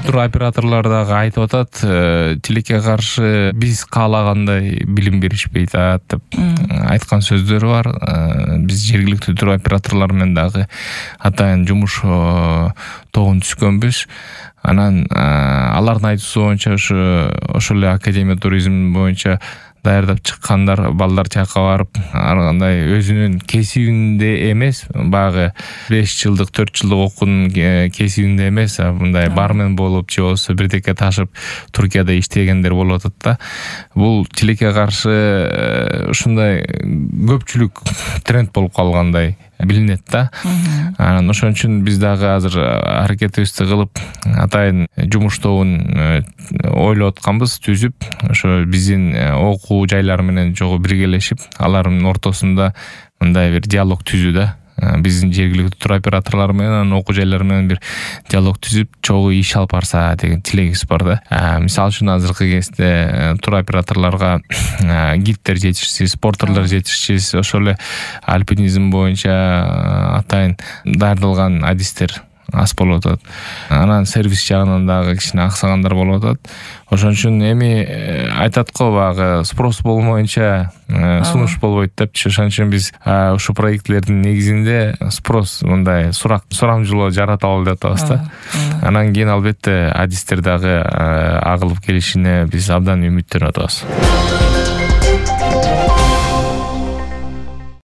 туроператорлор дагы айтып атат, тилекке каршы биз каалагандай билим беришпейт деп айткан сөздөрү бар. Биз жергиликтүү туроператорлор менен дагы атайын жумуш тобун түзгөнбүз. Анан алардын айтуусу боюнча ошол эле Академия туризм боюнча даярдап чыккандар балдар жакка барып, ар кандай өзүнүн кесибинде эмес, баягы 5 жылдык 4 жылдык окуунун кесибинде эмес, мындай бармен болуп же болбосо бирдеке ташып Туркияда иштегендер болуп атат да. Бул тилекке каршы ушундай көпчүлүк тренд болуп калгандай билинет да. Анан ошон үчүн биз дагы азыр аракетибизди кылып, атайын жумуш тобун ойлоп атканбыз, түзүп, ошо биздин окуу жайлары менен жогу биргелешип, алардын ортосунда мындай бир диалог түзүү да. Биздин жергиликтүү туроператорлор менен окуу жайлар менен бир диалог түзүп, чогуу иш алып барса деген тилегибиз бар да. Мисалы үчүн азыркы кезде туроператорлорго гидтер жетишсиз, портерлер жетишсиз, ошол эле альпинизм боюнча атайын даярдалган адистер аз болуп атат. Анан сервис жагынан дагы кичине аксагандар болуп атат. Ошон үчүн эми айтат го, баягы спрос болмоюнча сунуш болбойт депчи. Ошон үчүн биз ушу проектлердин негизинде спрос, мындай сурамжылоо жараталы деп атабыз да. Анан кийин албетте адистер дагы агылып келишине биз абдан үмүттөнүп атабыз.